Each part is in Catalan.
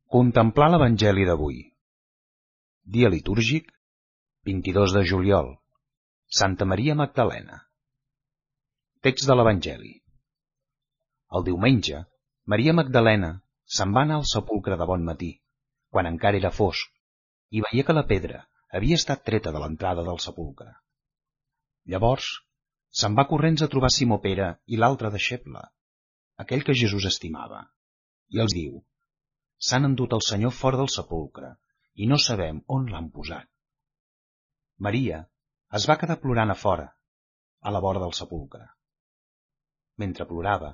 Contemplar l'Evangeli d'avui. Dia litúrgic, 22 de juliol. Santa Maria Magdalena. Text de l'Evangeli. El diumenge, Maria Magdalena se'n va anar al sepulcre de bon matí, quan encara era fosc, i veia que la pedra havia estat treta de l'entrada del sepulcre. Llavors, se'n va corrents a trobar Simó Pere i l'altre deixeble, aquell que Jesús estimava, i els diu: s'han endut el Senyor fora del sepulcre i no sabem on l'han posat. Maria es va quedar plorant a fora, a la vora del sepulcre. Mentre plorava,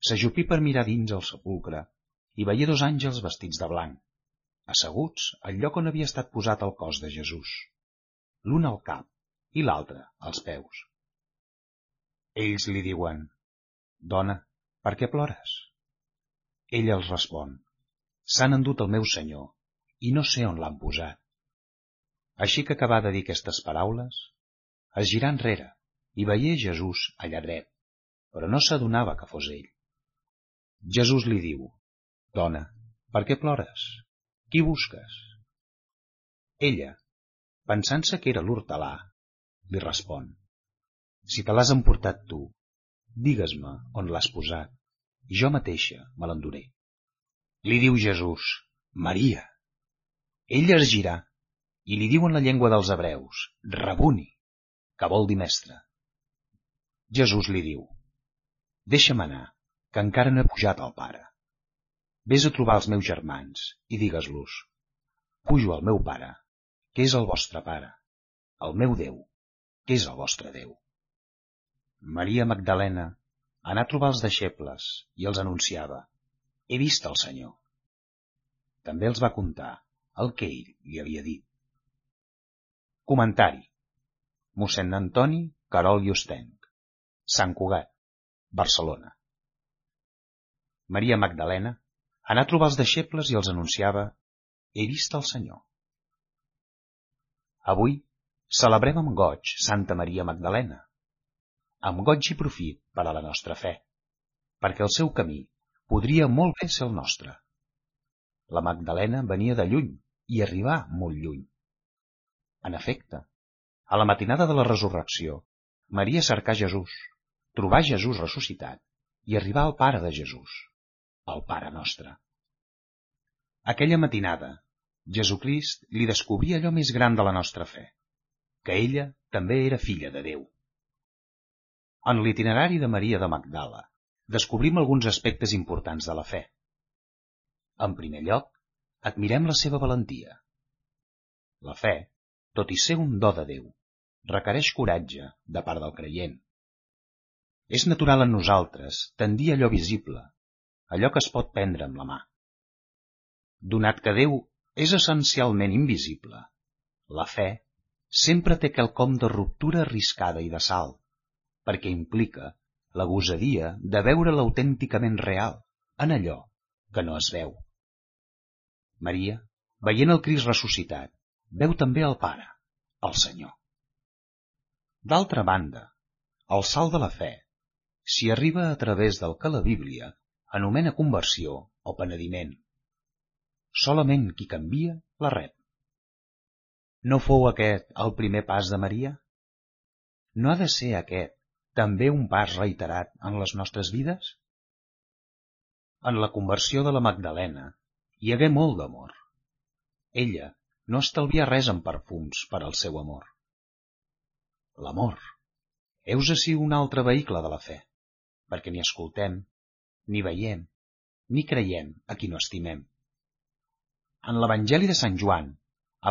s'ajupí per mirar dins el sepulcre i veia dos àngels vestits de blanc, asseguts al lloc on havia estat posat el cos de Jesús, l'un al cap i l'altre als peus. Ells li diuen: «Dona, per què plores?» Ella els respon: «S'han endut el meu Senyor i no sé on l'han posat». Així que acabà de dir aquestes paraules, es girà enrere i veié Jesús allà dret, però no s'adonava que fos ell. Jesús li diu: «Dona, per què plores? Qui busques?» Ella, pensant-se que era l'hortelà, li respon: «Si te l'has emportat tu, digues-me on l'has posat, i jo mateixa me l'enduré». Li diu Jesús: «Maria». Ella es girà i li diu en la llengua dels hebreus: «Rabuni», que vol dir mestre. Jesús li diu: «Deixa'm anar, que encara no he pujat al Pare. Vés a trobar els meus germans i digues-los: pujo al meu Pare, que és el vostre Pare, al meu Déu, que és el vostre Déu». Maria Magdalena anà a trobar els deixebles i els anunciava: «He vist el Senyor». També els va contar el que ell li havia dit. Comentari. Mossèn Antoni Querol i Ostenc, Sant Cugat, Barcelona. Maria Magdalena anà a trobar els deixebles i els anunciava: «He vist el Senyor». Avui celebrem amb goig Santa Maria Magdalena, amb goig i profit per a la nostra fe, perquè el seu camí podria molt bé ser el nostre. La Magdalena venia de lluny i arribà molt lluny. En efecte, a la matinada de la resurrecció, Maria cercà Jesús, trobà Jesús ressuscitat i arribà al Pare de Jesús, el Pare nostre. Aquella matinada, Jesucrist li descobria allò més gran de la nostra fe, que ella també era filla de Déu. En l'itinerari de Maria de Magdala descobrim alguns aspectes importants de la fe. En primer lloc, admirem la seva valentia. La fe, tot i ser un do de Déu, requereix coratge de part del creient. És natural en nosaltres tendir a allò visible, allò que es pot prendre amb la mà. Donat que Déu és essencialment invisible, la fe sempre té quelcom de ruptura arriscada i de salt, perquè implica la gosadia de veure l'autènticament real en allò que no es veu. Maria, veient el Crist ressuscitat, veu també el Pare, el Senyor. D'altra banda, el salt de la fe s'hi arriba a través del que la Bíblia anomena conversió o penediment. Solament qui canvia la rep. No fou aquest el primer pas de Maria? No ha de ser aquest també un pas reiterat en les nostres vides? En la conversió de la Magdalena hi hagué molt d'amor. Ella no estalvia res en perfums per al seu amor. L'amor, heus ací un altre vehicle de la fe, perquè ni escoltem, ni veiem, ni creiem a qui no estimem. En l'Evangeli de Sant Joan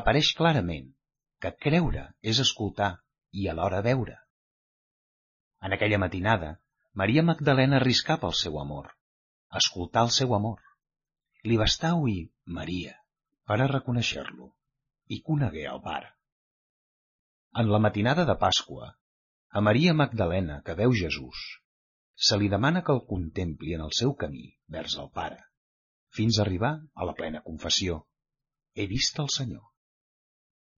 apareix clarament que creure és escoltar i alhora veure. En aquella matinada, Maria Magdalena arriscà pel seu amor, escoltar el seu amor. Li bastà oir Maria per a reconèixer-lo i conegué el Pare. En la matinada de Pasqua, a Maria Magdalena, que veu Jesús, se li demana que el contempli en el seu camí vers el Pare, fins a arribar a la plena confessió: «He vist el Senyor».